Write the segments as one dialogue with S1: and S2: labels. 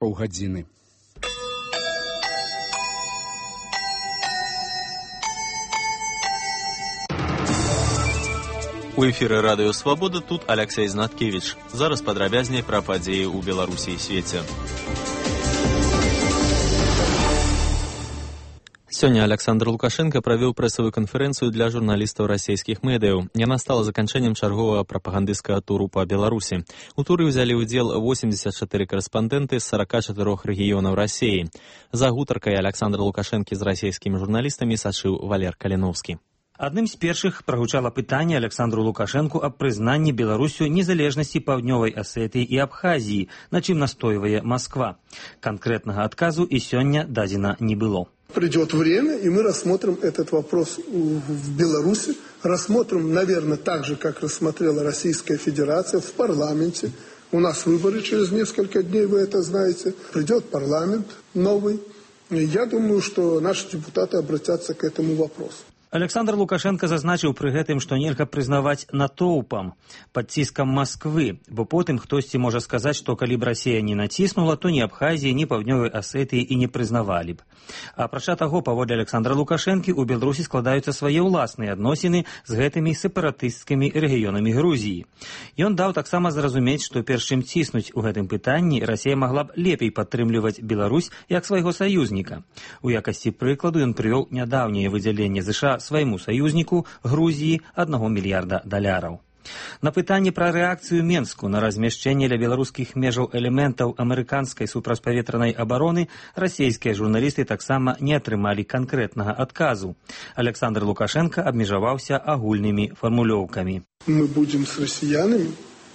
S1: паўгадзіны.
S2: У эфіры радыё «Свабода», тут Алексей Знаткевич. Зараз падрабязней пра падзеі ў Беларусі і свеце. Сёння Александр Лукашенко правёў прэсавую канферэнцыю для журналістаў расійскіх медыяў. Яна стала заканчэннем чарговага прапагандысцкага туру па Беларусі. У туры ўзялі ўдзел 84 карэспандэнты з 44 рэгіёнаў Расіі. За гутаркай Александра Лукашэнкі з расійскімі журналістамі сачыў Валер Каліноўскі.
S3: Адным з першых прагучала пытанне Александру Лукашэнку аб прызнанні Беларусю незалежнасці Паўднёвай Асетыі і Абхазіі, на чым настойвае Москва. Конкретнага адказу і сёння дадзена не было.
S4: Придет время, и мы рассмотрим этот вопрос в Беларуси. Рассмотрим, наверное, так же, как рассмотрела Российская Федерация в парламенте. У нас выборы через несколько дней, вы это знаете. Придет парламент новый. Я думаю, что наши депутаты обратятся к этому вопросу.
S3: Александр Лукашенко зазначыў пры гэтым, што нельга прызнаваць натоўпам, пад ціскам Масквы, бо потым хтосьці можа сказаць, што калі б Расія не націснула, то ні Абхазіі, ні Паўднёвай Асетыі і не прызнавалі б. Апрача таго, паводле Александра Лукашэнкі, у Беларусі складаюцца свае ўласныя адносіны з гэтымі сепаратысцкімі рэгіёнамі Грузіі. Ён даў таксама зразумець, што перш чым ціснуць у гэтым пытанні, Расія магла б лепей падтрымліваць Беларусь як свайго саюзніка. У якасці прыкладу ён прывёў нядаўняе выдзяленне ЗША свайму саюзніку Грузіі $1 мільярда. На пытанне пра рэакцыю Менску на размяшчэнне ля беларускіх межаў элементаў амерыканскай супрацьпаветранай абароны расійскія журналісты таксама не атрымалі канкрэтнага адказу. Александр Лукашенко абмежаваўся агульнымі фармулёўкамі.
S4: Мы будем с россиянами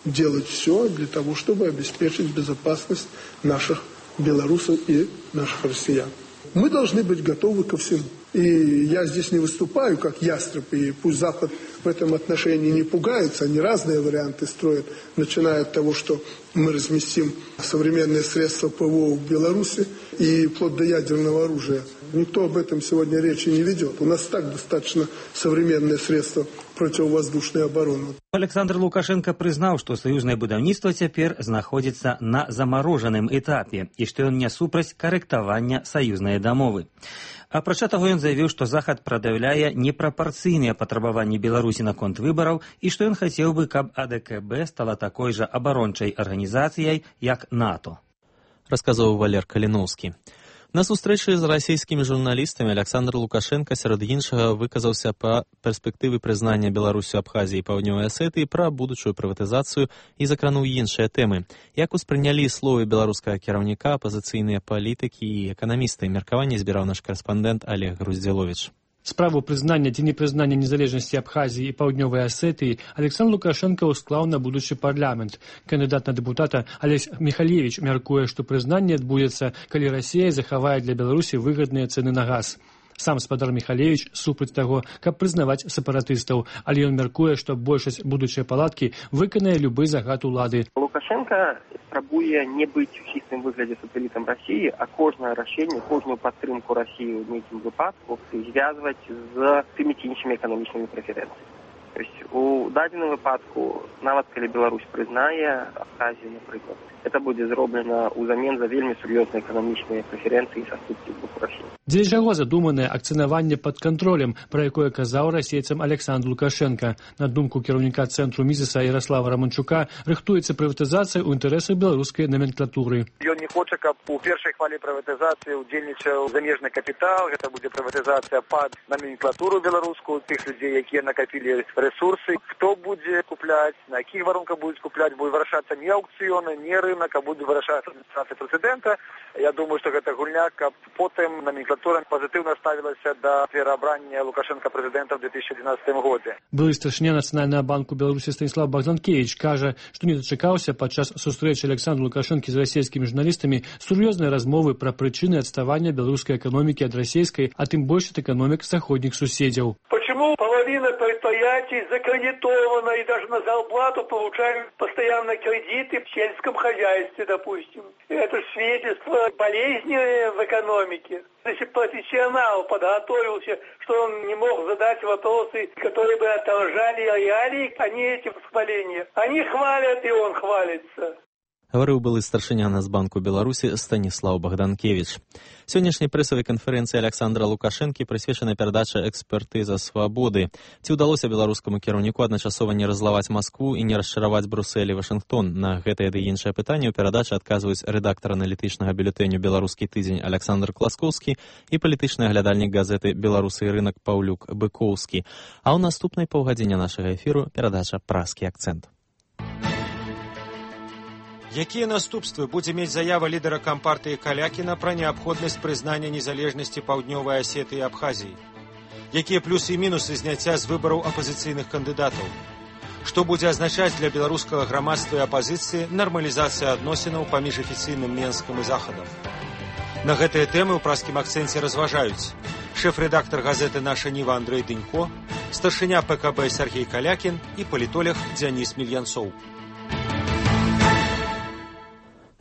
S4: делать все для того, чтобы обеспечить безопасность наших белорусов и наших россиян. Мы должны быть готовы ко всему. И я здесь не выступаю как ястреб, и пусть Запад в этом отношении не пугается, они разные варианты строят, начиная от того, что мы разместим современные средства ПВО в Беларуси и вплоть до ядерного оружия. Никто об этом сегодня речи не ведет. У нас так достаточно современные средства противовоздушной обороны.
S3: Александр Лукашенко прызнаў, што саюзнае будаўніцтва цяпер знаходзіцца на замарожаным этапе і што ён не супраць карэктавання саюзнай дамовы. Апрача таго, ён заявіў, што Захад прадаўляе непрапарцыйныя патрабаванні Беларусі наконт выбараў і што ён хацеў бы, каб АДКБ стала такой жа абарончай арганізацыяй, як НАТО.
S2: Расказаў Валер Каліноўскі. На сустрэчы з расійскімі журналістамі Александр Лукашенко сярод іншага выказаўся па перспектывы прызнання Беларусю Абхазіі і Паўднёвай Асетыі, пра будучую прыватызацыю і закрануў іншыя тэмы. Як успрынялі словы беларускага кіраўніка, апазіцыйныя палітыкі і эканамісты? Меркаванне збіраў наш карэспандэнт Олег Груздзіловіч.
S5: Справу прызнання ці непрызнання незалежнасці Абхазіі і Паўднёвай Асетыі Александр Лукашенко ўсклаў на будучы парламент. Кандыдат на дэпутата Алесь Михалевич мяркуе, што прызнанне адбудзецца, калі Расія захавае для Беларусі выгадныя цэны на газ. Сам спадар Михалевич супраць таго, каб прызнаваць сепаратыстаў, але ён мяркуе, што большасць будучай палаткі выканае любы загад улады.
S6: Лукашенко спрабуе не быць у чыстым выглядзе сателітам Расіі, а кожнае рашэнне, кожную падтрымку Расіі ў нейкім выпадку звязваць з тымі ці іншымі эканамічнымі прэферэнцыямі. То есть у дадзеным выпадку, нават калі Беларусь прызнае Абхазію, напрыклад, это будзе зроблена ўзамен за вельмі сур'ёзныя эканамічныя прэферэнцыі са ступкі з боку Расіі.
S5: Дзеля чаго задуманае акцынаванне пад кантролем, пра якое казаў расейцам Александр Лукашенко. На думку кіраўніка цэнтру Мізеса Ярослава Раманчука, рыхтуецца прыватызацыя ў інтарэсах беларускай наменклатуры.
S7: Ён не хоча, каб у першай хвалі прыватызацыі удзельнічаў замежны капітал, гэта будзе прыватызацыя пад наменклатуру беларускую, тых людзей, якія накапілі ресурсы. Хто будзе купляць, на якіх варунках будуць купляць, будзе вырашацца не аукцыёны, не рынок, а будзе вырашацца адміністрацыя прэзідэнта. Я думаю, што гэта гульня, каб потым наменклатура пазітыўна ставілася да пераабрання Лукашенка прэзідэнта ў 2012 годзе.
S5: Былы старшыня Нацыянальнага банку Беларусі Станіслав Багданкевіч кажа, што не дачакаўся падчас сустрэчы Александра Лукашэнкі з расійскімі журналістамі сур'ёзнай размовы пра прычыны адставання беларускай эканомікі ад расійскай, а тым больш ад эканомік заходніх суседзяў.
S8: Почему половина предприятий закредитована и даже на зарплату получают постоянно кредиты в сельском хозяйстве, допустим? Это свидетельство болезни в экономике. Если профессионал подготовился, что он не мог задать вопросы, которые бы отражали реалии, а не эти восхваления. Они хвалят, и он хвалится.
S2: гаварыў былы старшыня Нацбанку Беларусі Станіслаў Богданкевич. Сённяшняй прэсавай канферэнцыі Александра Лукашэнкі прысвечана перадача экспертыза свабоды. Ці ўдалося беларускаму кіраўніку адначасова не раззлаваць Маскву і не расчараваць Брусэль і Вашынгтон? На гэтае ды іншае пытанне ў перадачы адказваюць рэдактар аналітычнага бюлетэню «Беларускі тыдзень» Александр Класкоўскі і палітычны аглядальнік газеты «Беларусы і рынак» Паўлюк Быкоўскі. А ў наступнай паўгадзіне нашага эфіру перадача «Празкі акцэнт».
S1: Якія наступствы будзе мець заява лідара кампартыі Калякіна пра неабходнасць прызнання незалежнасці Паўднёвай Асеты і Абхазіі? Якія плюсы і мінусы зняцця з выбараў апазіцыйных кандыдатаў? Што будзе азначаць для беларускага грамадства і апазіцыі нармалізацыя адносінаў паміж афіцыйным Менскам і Захадам? На гэтыя тэмы ў празкім акцэнце разважаюць шэф-рэдактар газеты «Наша Ніва» Андрэй Дынько, старшыня ПКБ Сергей Калякін і палітолог Дзяніс Мільянцоў.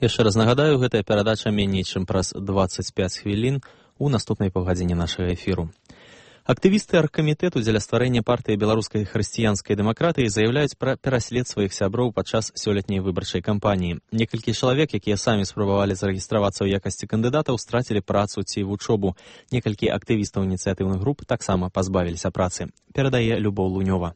S2: Яшчэ раз нагадаю, гэтая перадача меней чым праз 25 хвілін у наступнай паўгадзіне нашага эфіру. Актывісты аргкамітэту дзеля стварэння партыі беларускай хрысціянскай дэмакратыі заяўляюць пра пераслед сваіх сяброў падчас сёлетняй выбарчай кампаніі. Некалькі чалавек, якія самі спрабавалі зарэгістравацца ў якасці кандыдатаў, страцілі працу ці вучобу. Некалькі актывістаў ініцыятыўных груп таксама пазбавіліся працы. Перадае Любоў Лунёва.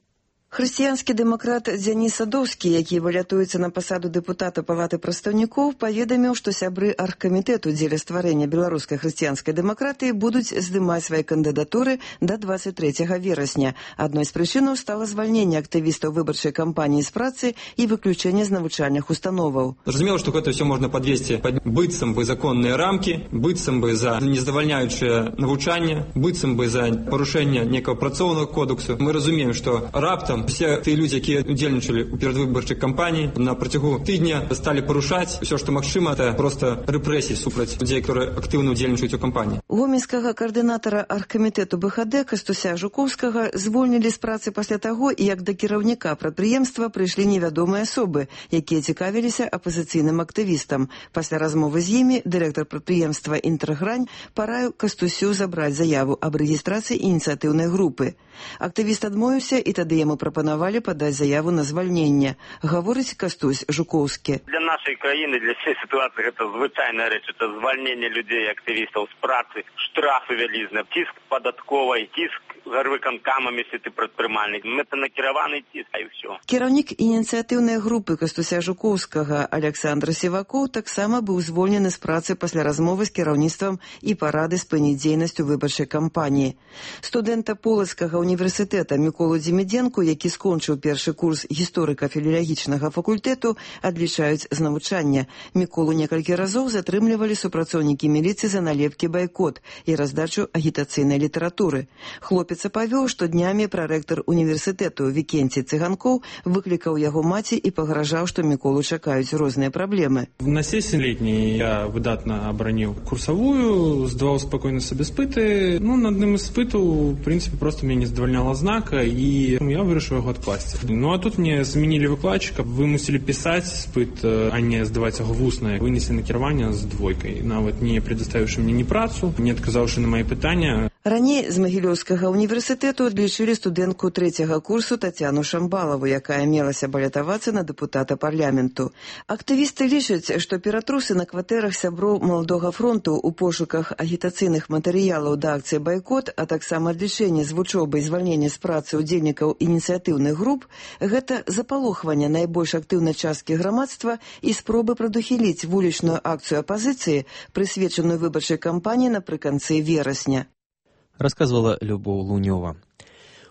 S9: Хрысціянскі дэмакрат Дзяніс Садоўскі, які валятуецца на пасаду дэпутата Палаты прадстаўнікоў, паведаміў, што сябры аргкамітэту дзеля стварэння беларускай хрысціянскай дэмакратыі будуць здымаць свае кандыдатуры да 23 верасня. Адной з прычынаў стала звальненне актывістаў выбарчай кампаніі з працы і выключэнне з навучальных установаў.
S10: Зразумела, што гэта ўсё можна падвесці пад быццам бы законныя рамкі, быццам бы за нездавальняючае навучанне, быццам бы за парушэнне некага працоўнага кодексу. Мы разумеем, што раптам все тыя людзі, якія удзельнічалі ў перадвыбарчай кампаніі, на працягу тыдня сталі парушаць усё, што магчыма, это проста рэпрэсіі супраць людзей, которые актыўна удзельнічаюць у кампаніі.
S9: Гомельскага каардынатара аргкамітэту БХД Кастуся Жукоўскага звольнілі з працы пасля таго, як да кіраўніка прадпрыемства прыйшлі невядомыя асобы, якія цікавіліся апазіцыйным актывістам. Пасля размовы з імі дырэктар прадпрыемства «Інтэргрань» параіў Кастусю забраць заяву аб рэгістрацыі ініцыятыўнай групы. Актывіст адмовіўся, і тады яму прапанавалі падаць заяву на звальненне. Гаворыць Кастусь Жукоўскі.
S11: Для нашай краіны, для всей ситуации гэта звычайная рэч. Это звальненне людзей, актывістаў з працы, штрафы вялізныя, ціск падатковай, ціск гарвыканкамам, если ты прадпрымальнік. Гэта накіраваны ціск, і ўсё.
S9: Кіраўнік ініцыятыўнай групы Кастуся Жукоўскага Александр Сівакоў таксама быў звольнены з працы пасля размовы з кіраўніцтвам і парады спыніць дзейнасць у выбарчай кампаніі. Студэнта Полацкага універсітэта Міколу Дзімідзенку, які скончыў першы курс гісторыка-філалагічнага факультэту, адлічаюць з навучання. Міколу некалькі разоў затрымлівалі супрацоўнікі міліцыі за налепкі байкот і раздачу агітацыйнай літаратуры. Хлопец апавёў, што днямі прарэктар універсітэту Вікенцій Цыганкоў выклікаў яго маці і пагражаў, што Міколу чакаюць розныя праблемы.
S12: На сесії летній я видатно оборонив курсовую, здавав спокійно собі спити. На одним із спитів, в принципі, просто мене не задовольняла ознака, і я вирішив його відкласти. А тут мені змінили викладчика, вимусили писати спит, а не здавати його в усне. Винесли на керування з двойкою, навіть не предоставивши мені ні працю, не відказавши на мої питання.
S9: Раней з Магілёўскага універсітэту адлічылі студэнтку 3-го курсу Тацяну Шамбалаву, якая мелася балятавацца на дэпутата парламенту. Актывісты лічаць, што ператрусы на кватэрах сяброў Маладога фронту ў пошуках агітацыйных матэрыялаў да акцыі байкот, а таксама адлічэнне з вучобы і звальнення з працы ўдзельнікаў ініцыятыўных груп – гэта запалохванне найбольш актыўнай часткі грамадства і спробы прадухіліць вулічную акцыю апазіцыі, прысвечаную выбарчай кампаніі напрыканцы верасня.
S2: Расказвала Любоў Лунёва.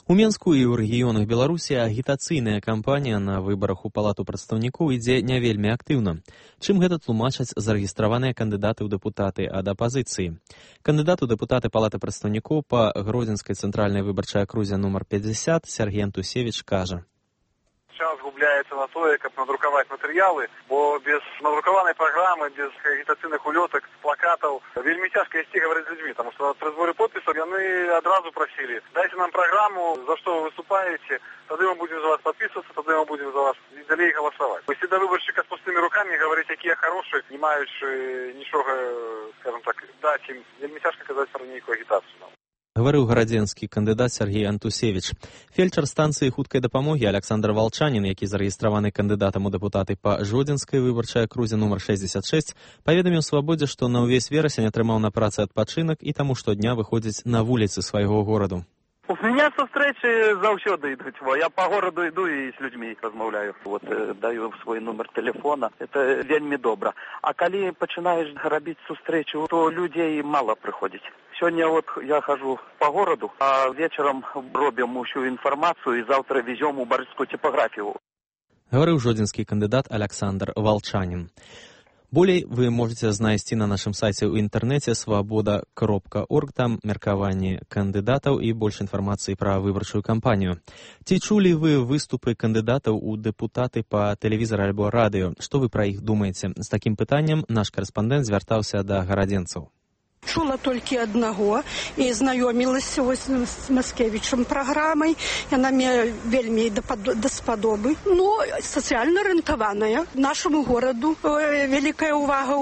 S2: У Менску і ў рэгіёнах Беларусі агітацыйная кампанія на выбарах у Палату прадстаўнікоў ідзе не вельмі актыўна. Чым гэта тлумачаць зарэгістраваныя кандыдаты ў дэпутаты ад апазіцыі? Кандыдат у дэпутаты Палаты прадстаўнікоў па Гродзенскай цэнтральнай выбарчай акрузе нумар 50 Сергей Антусевіч кажа.
S7: Час губляецца на тое, каб надрукаваць матэрыялы, бо без надрукаванай праграмы, без агітацыйных улётак, плакатаў вельмі цяжка ісці гаварыць з людзьмі, таму што пры зборы подпісаў яны адразу прасілі: дайце нам праграму, за што вы выступаеце, тады мы будзем за вас падпісвацца, тады мы будзем за вас і далей галасаваць. Ісці да выбаршчыка з пустымі рукамі, гаварыць, якія хорошыя, не маючы нічога, скажам так, даць ім, вельмі цяжка казаць пра нейкую агітацыю.
S2: Гаварыў гарадзенскі кандыдат Сергей Антусевіч. Фельчар станцыі хуткай дапамогі Александр Валчанін, які зарэгістраваны кандыдатам у дэпутаты па Жодзінскай выбарчай акрузе нумар 66, паведаміў Свабодзе, што на ўвесь верасень атрымаў на працы адпачынак і таму штодня выходзіць на вуліцы свайго гораду.
S13: У меня сустрэчы заўсёды ідуць. Я по городу иду и с людьми размаўляю. Даю свой номер телефона. Это вельмі добра. А калі пачынаеш рабіць сустрэчу, то людзей мало прыходзіць. Сегодня я хожу по городу, а вечером робим всю информацию и завтра везем у Барыцкую типографию.
S2: Гаварыў жодзінскі кандыдат Александр Валчанін. Болей вы можете знайсці на нашым сайце ў інтэрнэце свабода.орг, там меркаванні кандыдатаў і больш інфармацыі пра выбарчую кампанію. Ці чулі вы выступы кандыдатаў у дэпутаты па тэлевізары альбо радыё? Што вы пра іх думаеце? З такім пытаннем наш карэспандэнт звяртаўся да гарадзенцаў.
S14: Чула толькі аднаго і знаёмілася з Маскевічам праграмай. Яна мне вельмі даспадобы. Сацыяльна арыентаваная. Нашаму гораду вялікая ўвага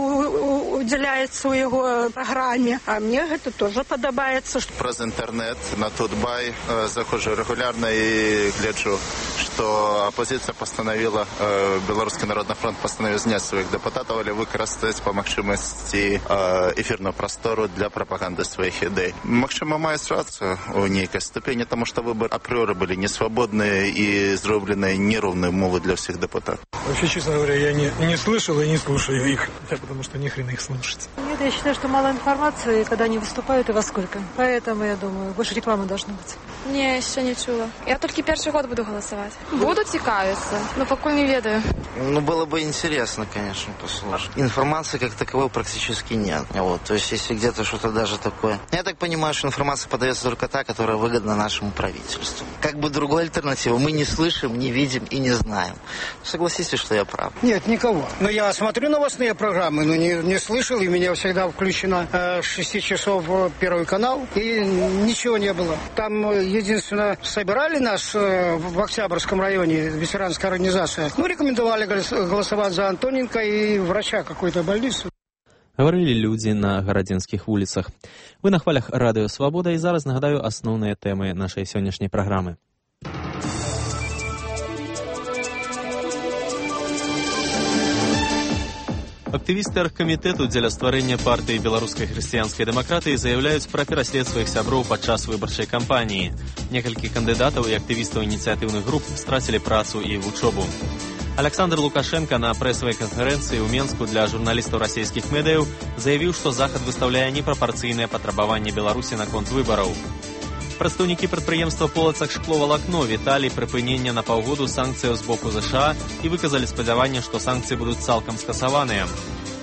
S14: удзяляецца ў яго праграме. А мне гэта тоже падабаецца.
S15: Праз інтэрнэт на Тутбай заходжу рэгулярна і гляджу, што апозіцыя пастанавіла, Беларускі народны фронт пастанавіў зняць сваіх дэпутатаў, але выкарыстаць па магчымасці эфірную прастору для пропаганды своих идей. Магчыма, мае рацию у нейкай ступені, тому что выборы априори были несвободные и сделаны неровные умовы для всех депутатов.
S16: Вообще, честно говоря, я не слышал и не слушаю их, потому что ни хрена их слушать.
S17: Нет, я считаю, что мало информации, когда они выступают и во сколько. Поэтому, я думаю, больше рекламы должно быть.
S18: Не, еще не чула. Я только первый год буду голосовать. Буду цікавиться, но пока не ведаю.
S19: Было бы интересно, конечно, послушать. Информации как таковой практически нет. То есть, если где-то что-то даже такое. Я так понимаю, что информация подается только та, которая выгодна нашему правительству. Как бы другой альтернативы мы не слышим, не видим и не знаем. Согласитесь, что я прав?
S20: Нет, никого. Но я смотрю новостные программы, но не слышал, и у меня всегда включено с 6 часов Первый канал, и ничего не было. Там единственное, собирали нас в Октябрьском районе, ветеранская организация. Рекомендовали голосовать за Антоненко и врача какой-то больницы.
S2: Гаварылі людзі на гарадзенскіх вуліцах. Вы на хвалях радыё «Свабода» і зараз нагадаю асноўныя тэмы нашай сённяшняй праграмы. Актывісты аргкамітэту дзеля стварэння партыі беларускай хрысціянскай дэмакратыі заяўляюць пра пераслед сваіх сяброў падчас выбарчай кампаніі. Некалькі кандыдатаў і актывістаў ініцыятыўных груп страцілі працу і вучобу. Александр Лукашенко на прэсавай канферэнцыі ў Менску для журналістаў расійскіх медыяў заявіў, што Захад выстаўляе непрапарцыйныя патрабаванні Беларусі наконт выбараў. Прадстаўнікі прадпрыемства «Полацак шкловалакно» віталі прыпынення на паўгоду санкцыяў з боку ЗША і выказалі спадзяванне, што санкцыі будуць цалкам скасаваныя.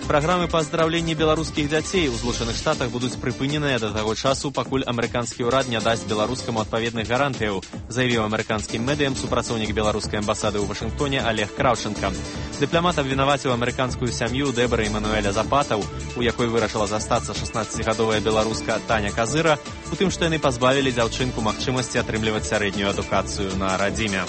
S2: Праграмы па аздараўленні беларускіх дзяцей у Злучаных Штатах будуць прыпыненыя да таго часу, пакуль амерыканскі ўрад не дасць беларускаму адпаведных гарантыяў, заявіў амерыканскім медыям супрацоўнік беларускай амбасады ў Вашынгтоне Олег Краўченка. Дыпламат абвінаваціў амерыканскую сям'ю Дэбары Эмануэля Запатаў, у якой вырашыла застацца 16гадовая беларуска Таня Казыра, у тым, што яны пазбавілі дзяўчынку магчымасці атрымліваць сярэднюю адукацыю на радзіме.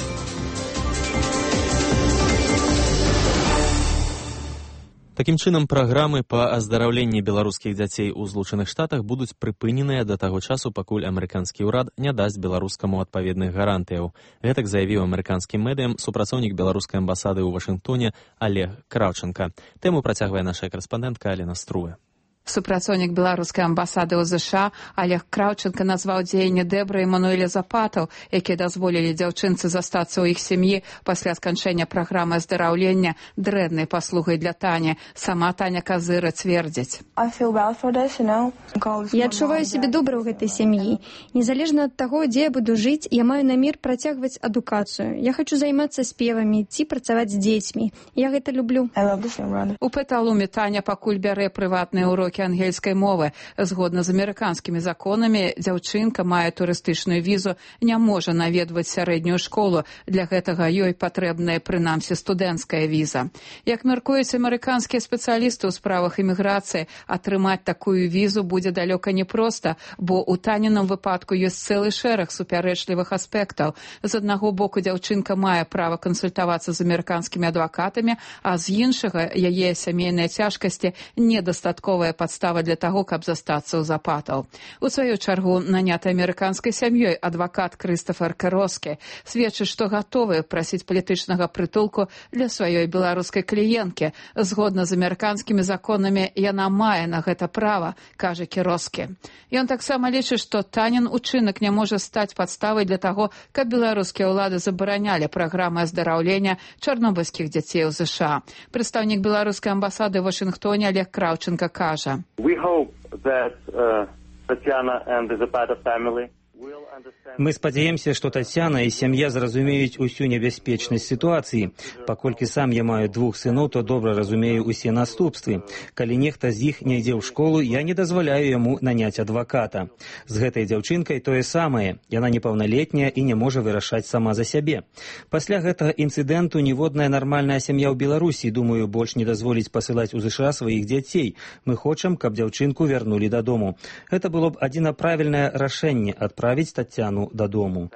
S2: Такім чынам, праграмы па аздараўленні беларускіх дзяцей у Злучаных Штатах будуць прыпыненыя да таго часу, пакуль амерыканскі ўрад не дасць беларускаму адпаведных гарантыяў. Гэтак заявіў амерыканскім медыям супрацоўнік беларускай амбасады ў Вашынгтоне Олег Краўченка. Тэму працягвае наша карэспандэнтка Алена Струе.
S21: Супрацоўнік беларускай амбасады ў ЗША Олег Краўченка назваў дзеянні Дэбры Эмануэля Запатаў, якія дазволілі дзяўчынцы застацца ў іх сям'і пасля сканчэння праграмы аздараўлення, дрэннай паслугай для Тані. Сама Таня Казыра цвердзіць.
S22: Я адчуваю сябе добра ў гэтай сям'і. Незалежна ад таго, дзе я буду жыць, я маю намер працягваць адукацыю. Я хачу займацца спевамі ці працаваць з дзецьмі. Я гэта люблю.
S21: У Петалуме Таня пакуль бярэ прыватныя ўрокі ангельскай мовы. Згодна з амерыканскімі законамі, дзяўчынка мае турыстычную візу, не можа наведваць сярэднюю школу. Для гэтага ёй патрэбная прынамсі студэнцкая віза. Як мяркуюць амерыканскія спецыялісты ў справах іміграцыі, атрымаць такую візу будзе далёка непроста, бо ў Танінам выпадку ёсць цэлы шэраг супярэчлівых аспектаў. З аднаго боку, дзяўчынка мае права кансультавацца з амерыканскімі адвакатамі, а з іншага, яе сямейныя цяжкасці недастатковая падстава для таго, каб застацца ў запатаў. У сваю чаргу наняты амерыканскай сям'ёй адвакат Крыстафер Кероскі сведчыць, што гатовы прасіць палітычнага прытулку для сваёй беларускай кліенткі. Згодна з амерыканскімі законамі яна мае на гэта права, кажа Кероскі. Ён таксама лічыць, што танен учынак не можа стаць падставай для таго, каб беларускія ўлады забаранялі праграмы аздараўлення чарнобыльскіх дзяцей у ЗША. Прадстаўнік беларускай амбасады ў Вашынгтоне Олег Кравченко кажа.
S3: Мы спадзяемся, што Тацяна і сям'я зразумеюць усю небяспечнасць сітуацыі. Паколькі сам я маю 2 сыноў, то добра разумею усе наступствы. Калі нехта з іх не ідзе ў школу, я не дазваляю яму наняць адваката. З гэтай дзяўчынкай тое самае. Яна непаўналетняя і не можа вырашаць сама за сябе. Пасля гэтага інцыдэнту ніводная нармальная сям'я ў Беларусі, думаю, больш не дазволіць пасылаць у ЗША сваіх дзяцей. Мы хочам, каб дзяўчынку вярнулі дадому. Гэта было б адзіна правільнае рашэнне адправіць Тацяну дадому.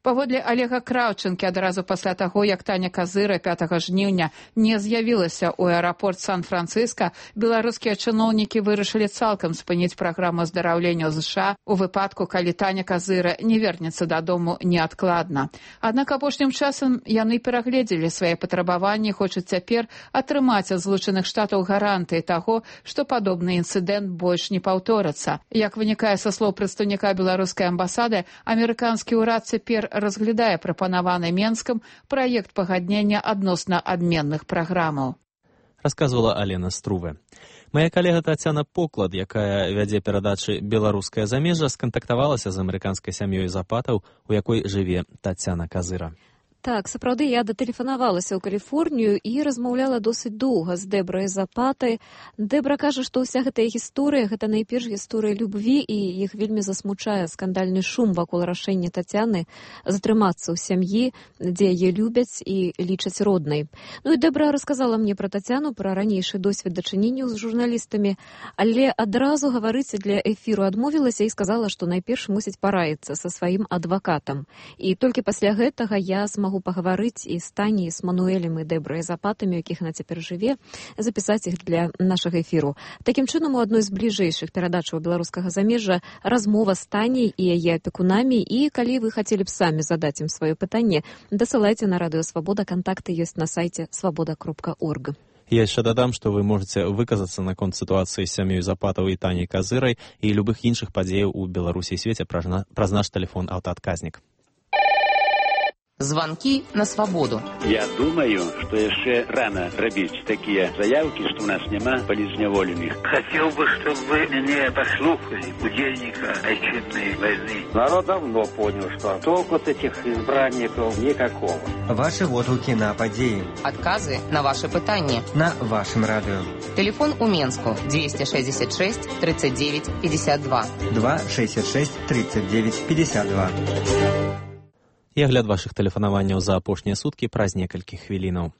S21: Паводле Олега Кравченкі, адразу пасля таго, як Таня Казыра 5 жніўня не з'явілася ў аэрапорт Сан-Францыска, беларускія чыноўнікі вырашылі цалкам спыніць праграму аздараўлення ў ЗША у выпадку, калі Таня Казыра не вернецца дадому неадкладна. Аднак апошнім часам яны перагледзелі свае патрабаванні, хочуць цяпер атрымаць ад Злучаных Штатаў гарантыі таго, што падобны інцыдэнт больш не паўторыцца. Як вынікае са слоў прадстаўніка беларускай амбасады, амерыканскі ўрад цяпер разглядае прапанаваны Менскам праект пагаднення адносна адменных праграмаў.
S2: Расказвала Алена Струве. Моя калега Тацяна Поклад, якая вядзе перадачы «Беларускае замежжа», скантактавалася з амерыканскай сям'ёй запатаў, у якой жыве Тацяна Казыра.
S4: Так, сапраўды, я датэлефанавалася ў Каліфорнію і размаўляла досыць доўга з Дэбрай Запатай. Дэбра кажа, што ўся гэтая гісторыя, гэта найперш гісторыя любві, і іх вельмі засмучае скандальны шум вакол рашэння Тацяны затрымацца ў сям'і, дзе яе любяць і лічаць роднай. Ну і Дэбра расказала мне пра Тацяну, пра ранейшы досвед дачынення з журналістамі, але адразу гаварыць для эфіру адмовілася і сказала, што найперш мусіць параіцца са сваім адвакатам. І толькі пасля гэтага я могу пагаварыць і з Таняй, з Мануэлем і Дэбрай Запатамі, у якіх она цяпер жыве, запісаць іх для нашага эфіру. Такім чынам, у адной з бліжэйшых перадачаў беларускага замежжа размова з Таняй і яе апекунамі, і калі вы хацелі б самі задаць ім сваё пытанне, дасылайце на Радыё Свабода, кантакты ёсць на сайце свабода.орг.
S2: Я яшчэ дадам, што вы можаце выказацца наконт сітуацыі з сям'ёй Запатаў і Таняй Казырай і любых іншых падзеяў у Беларусі і свеце праз наш тэлефон аўтаадказнік.
S23: Звонки на свободу.
S24: Я думаю, что еще рано робить такие заявки, что у нас нема политзневоленных.
S25: Хотел бы, чтобы вы меня послушали, удельника отчетной войны.
S26: Народ давно понял, что толку от этих избранников никакого.
S27: Ваши отгуки на подеи.
S23: Отказы на ваши пытания.
S27: На вашем радио.
S23: Телефон у Менску 266 39 52.
S27: 266 39 52.
S2: І агляд вашых тэлефанаванняў за апошнія суткі праз некалькі хвілінаў.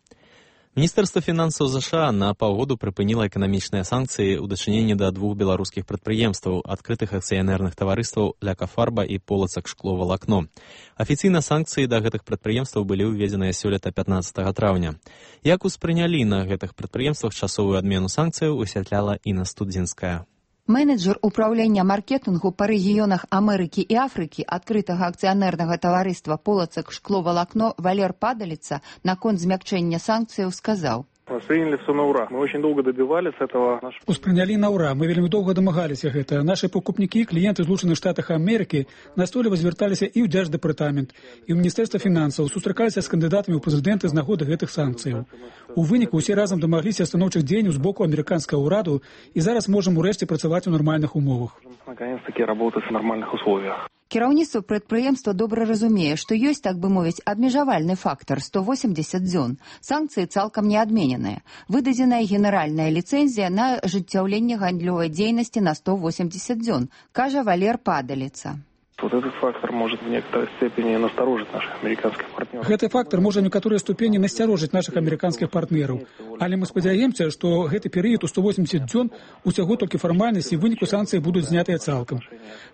S2: Міністэрства фінансаў ЗША на паўгоду прыпыніла эканамічныя санкцыі ў дачыненні да 2 беларускіх прадпрыемстваў, адкрытых акцыянерных таварыстваў «Ляка-Фарба» і «Полацак Шкло-Валакно». Афіцыйна санкцыі да гэтых прадпрыемстваў былі ўведзеныя сёлета 15 траўня. Як успрынялі на гэтых прадпрыемствах часовую адмену санкцыяў, высвятляла Інна Студзінская.
S28: Менеджер управлення маркетингу по регионах Америки и Африки открытого акционерного товариства «Полацак Шкло-Валакно» Валер Падалица наконт змягчения санкций сказал:
S29: Восприняли все на ура. Мы очень долго добивались этого.
S5: Успрыняли на ура. Мы вельмі доўга дамагаліся гэта. Нашы пакупнікі, кліенты Злучаных Штатах Амерыкі настойліва звярталіся і ў Дзярждэпартамент, і ў Міністэрства фінансаў, сустракаліся з кандыдатамі ў прэзідэнты з нагоды гэтых санкцыяў. У выніку ўсе разам дамагліся станоўчых дзеянняў з боку амерыканскага ўраду, і зараз можам урэшце працаваць у нармальных умовах.
S29: Наконец-таки работать в нормальных условиях.
S28: Кіраўніцтва прадпрыемства добра разумее, што ёсць, так бы мовіць, абмежавальны фактар 180 дзён. Санкцыі цалкам не адмененыя. Выдадзеная генеральная ліцэнзія на ажыццяўленне гандлёвай дзейнасці на 180 дзён, кажа Валер Падаліца.
S29: Вот этот фактор может в некоторой степени насторожить наших американских партнеров.
S16: Гэты фактор можа некаторыя ступені насцярожыць наших амерыканскіх партнераў. Але мы спадзяемся, што гэты перыяд у 180 дзён усяго толькі фармальнасць і выніку санкцыі будуць знятыя цалкам.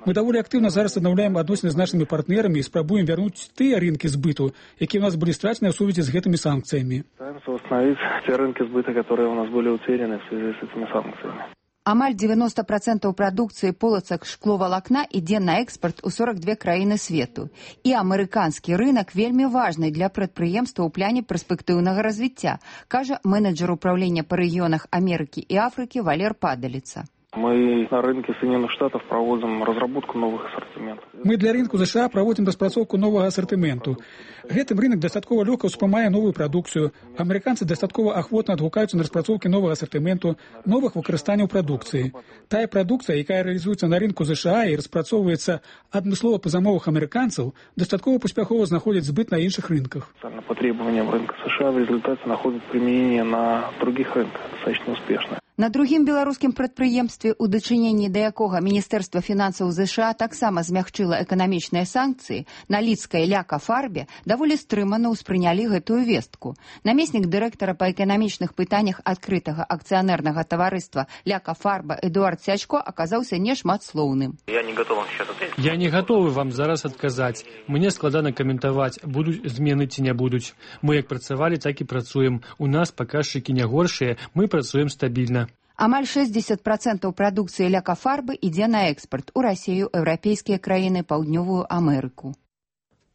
S16: Мы даволі актыўна зараз аднаўляем адносіны з нашымі партнерамі і спрабуем вярнуць тыя рынкі збыту, якія ў нас былі страчаны ў сувязі з гэтымі санкцыямі.
S29: Стараемся восстановить те рынки сбыта, которые у нас были утеряны в связи с этими санкциями.
S28: Амаль 90% прадукцыі полацак шкловалакна ідзе на экспарт у 42 краіны свету. І амерыканскі рынак вельмі важны для прадпрыемства ў пляне перспектыўнага развіцця, кажа менеджер управлення па рэгіёнах Амерыкі і Афрыкі Валер Падаліца.
S29: Мы на рынке Соединенных Штатов проводим разработку новых ассортиментов.
S16: Мы для рынку США праводзім распрацоўку новага асартыменту. Гэтым рынок дастаткова лёгка ўспрымае новую прадукцыю. Амерыканцы дастаткова ахвотна адгукаюцца на распрацоўкі новага асартыменту, новых выкарыстанняў прадукцыі. Тая прадукцыя, якая рэалізуецца на рынку США і распрацоўваецца адмыслова па замовах амерыканцаў, дастаткова паспяхова знаходзіць збыт на іншых рынках.
S29: По требованиям рынка США в результате находят применение на других рынках достаточно успешно.
S28: На другім беларускім прадпрыемстве, у дачыненні да якога Міністэрства фінансаў ЗША таксама змягчыла эканамічныя санкцыі, на лідскай Ляка-Фарбе даволі стрымана ўспрынялі гэтую вестку. Намеснік дырэктара па эканамічных пытаннях адкрытага акцыянернага таварыства Ляка-Фарба Эдуард Сячко аказаўся нешматслоўным.
S5: Я не гатовы вам зараз адказаць. Мне складана каментаваць, будуць змены ці не будуць. Мы як працавалі, так і працуем. У нас паказчыкі не горшыя, мы працуем стабільна.
S28: Амаль 60% прадукцыі Ляка-Фарбы ідзе на экспарт у Расію, еўрапейскія краіны, Паўднёвую Амерыку.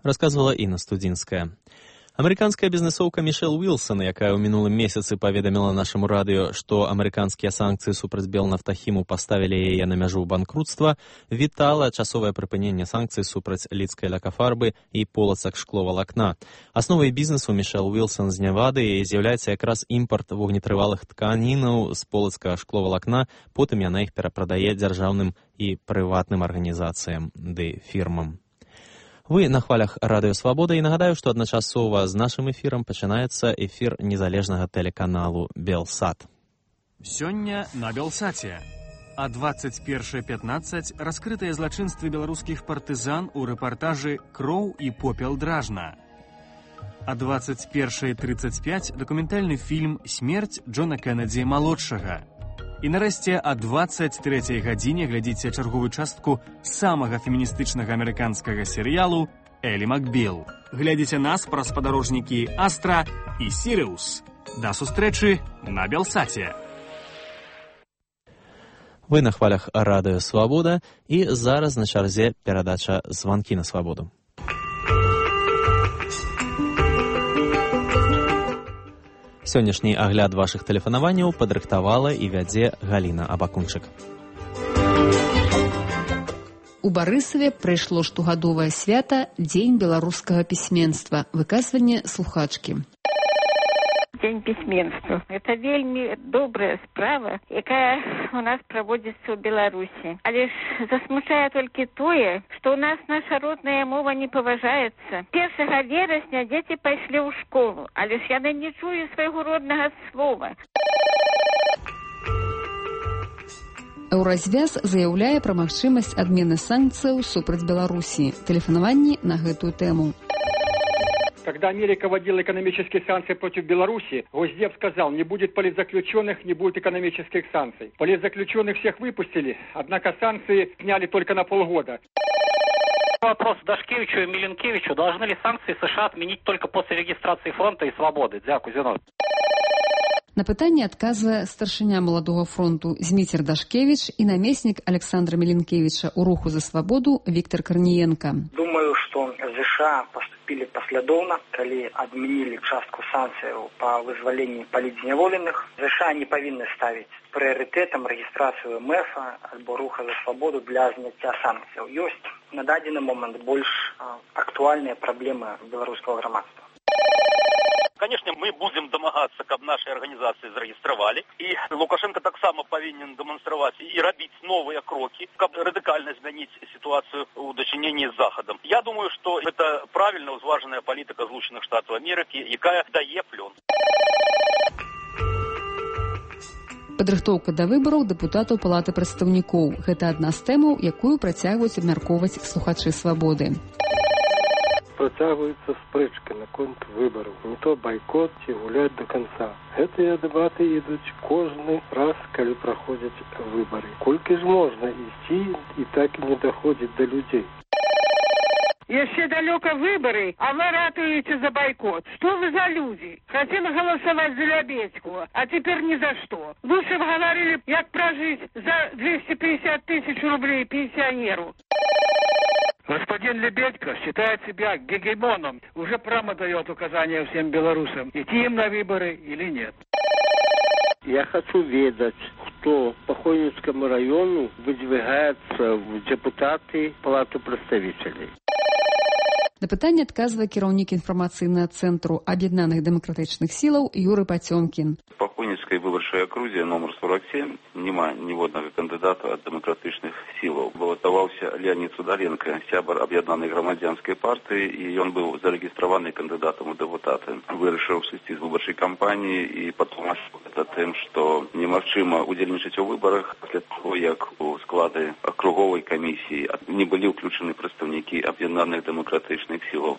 S2: Рассказывала Інна Студзінская. Амерыканская бізнесоўка Мішэл Уілсон, якая ў мінулым месяцы паведаміла нашаму радыё, што амерыканскія санкцыі супраць Белнафтахіму паставілі яе на мяжу банкрутства, вітала часовае прыпыненне санкцый супраць лідскай Ляка-Фарбы і полацак шкловалакна. Асновай бізнесу Мішэл Уілсон з Невады з'яўляецца якраз імпарт вогнетрывалых тканінаў з полацкага шкловалакна, потым яна іх перапрадае дзяржаўным і прыватным арганізацыям ды фірмам. Вы на хвалях Радыё Свабода і нагадаю, што адначасова з нашым эфірам пачынаецца эфір незалежнага тэлеканалу Белсат.
S1: Сёння на Белсаце. А 21:15 раскрытыя злачынствы беларускіх партызан у рэпартажы «Кроў і попел дражна». А 21:35 дакументальны фільм «Смерць Джона Кеннеді малодшага». І нарэшце а 23 гадзіне глядзіце чарговую частку самага феміністычнага амерыканскага серыялу «Элі Макбіл». Глядзіце нас праз спадарожнікі «Астра» і «Сірыус». Да сустрэчы на Белсаце.
S2: Вы на хвалях Радыё Свабода і зараз на чарзе перадача «Званкі на свабоду». Сённяшні агляд вашых тэлефанаванняў падрыхтавала і вядзе Галіна Абакунчык.
S21: У Барысаве прайшло штогадовае свята Дзень беларускага пісьменства, выказванне слухачкі.
S6: Дзень пісьменства. Это вельмі добрая справа, якая у нас праводзіцца ў Беларусі. Але ж засмучае толькі тое, што ў нас наша родная мова не паважаецца. 1 верасня дзеці пайшлі ў школу, але ж яны не чуюць свайго роднага слова.
S21: Еўразвяз заяўляе пра магчымасць адмены санкцыяў супраць Беларусі. Тэлефанаванні на гэтую тэму.
S7: Когда Америка вводила экономические санкции против Беларуси, Госдеп сказал, не будет политзаключенных, не будет экономических санкций. Политзаключенных всех выпустили, однако санкции сняли только на полгода.
S8: Вопрос Дашкевичу и Миленкевичу. Должны ли санкции США отменить только после регистрации фронта и свободы? Дякую, Зино.
S21: На пытанне адказвае старшыня Маладога фронту Зміцер Дашкевич і намеснік Александра Миленкевича у руху за свабоду Віктор Корніенко.
S9: Думаю, что США поступили последовно, когда отменили частку санкций по вызволению политзневоленных. США не повинны ставить приоритетом регистрацию МФ або руха за свободу для снятия санкций. Есть на данный момент больше актуальные проблемы белорусского громадства.
S10: Конечно, мы будем домагаться, каб наши организации зарегистрировали. И Лукашенко так само повинен демонстрировать и робить новые кроки, каб радикально изменить ситуацию в дочинении с Заходом. Я думаю, что это правильно узваженная политика Злучених Штатів Америки, якая дає плен.
S11: Падрыхтоўка да выбараў дэпутатаў Палаты прадстаўнікоў. Гэта адна з тэмаў, якую працягваюць абмяркоўваць слухачы «Свабоды».
S12: Працягваецца спрэчка наконт выбараў. Не то байкот ці гуляць до конца. Гэтыя дэбаты ідуць кожны раз, калі праходзяць выбары. Колькі ж можна ісці і так і не даходзіць да людзей?
S13: Еще далеко выборы, а вы ратуете за бойкот. Что вы за люди? Хотим голосовать за Лебедьку, а теперь ни за что. Лучше бы говорили, как прожить за 250 тысяч рублей пенсионеру.
S25: Господин Лебедько считает себя гегемоном. Уже прямо дает указания всем белорусам, идти им на выборы или нет.
S26: Я хочу ведать, кто по Хойницкому району выдвигается в депутаты Палаты представителей.
S11: На пытанне адказвае кіраўнік інфармацыйнага цэнтру аб'яднаных дэмакратычных сілаў Юры Пацёмкін.
S14: По Хойніцкай выбарчай акрузе номер 47 няма ніводнага кандыдата ад дэмакратычных сілаў. Балатаваўся Леонид Судаленко, сябар аб'яднанай грамадзянскай партыі, і ён быў зарэгістраваны кандыдатам у дэпутаты. Вырашыў сысці з выбарчай кампаніі і патлумачыў гэта тым, што немагчыма удзельнічаць у выбарах пасля таго, як у склады акруговай камісіі не былі ўключаны прадстаўнікі аб'яднаных дэмакратычных сілаў.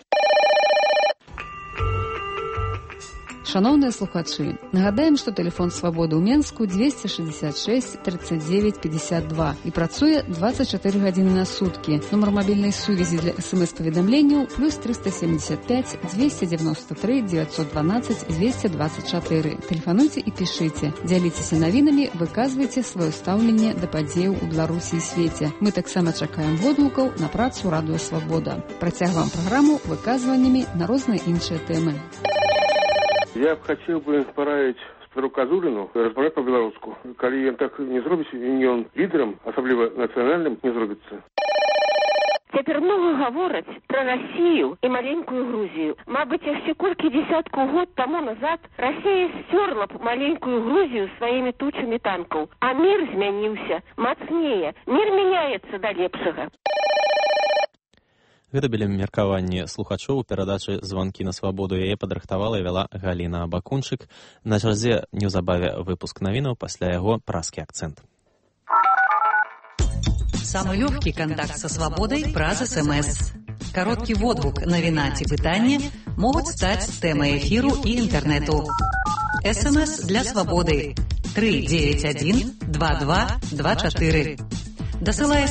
S11: Шановныя слухачы, нагадаем, што тэлефон «Свабоды» ў Менску 266 39 52 і працуе 24 гадзіны на суткі. Нумар мабільнай сувязі для СМС-паведамленняў плюс 375 293 912 224. Тэлефануйце і пішыце. Дзяліцеся навінамі, выказвайце сваё стаўленне да падзеяў у Беларусі і свеце. Мы таксама чакаем водгукаў на працу радыё «Свабода». Працягваем праграму выказваннямі на розныя іншыя тэмы.
S12: Я б хацеў бы параіць Петру Казуліну размаўляць па-беларуску. Калі ён так не зробіць, і ён лідарам, асабліва нацыянальным, не зробіцца.
S6: Цяпер много гавораць пра Расію і маленькую Грузію. Мабыць, яшчэ колькі дзесяткаў год таму назад Расія сцёрла б маленькую Грузію сваімі тучамі танкаў. А мір змяніўся, мацнее. Мір мяняецца да лепшага.
S2: Гэта былі меркаванні слухачоў у перадачы «Званкі на свабоду». Яе падрыхтавала і вяла Галіна Бакунчык. На чарзе неўзабаве выпуск навінаў, пасля яго праскі акцэнт.
S15: Самый легкий контакт со свободой праз СМС. Короткий водгук, навіна ці пытанне могуць стаць тэмай эфіру і інтэрнэту. СМС для свободы 391 22 24. Дасылае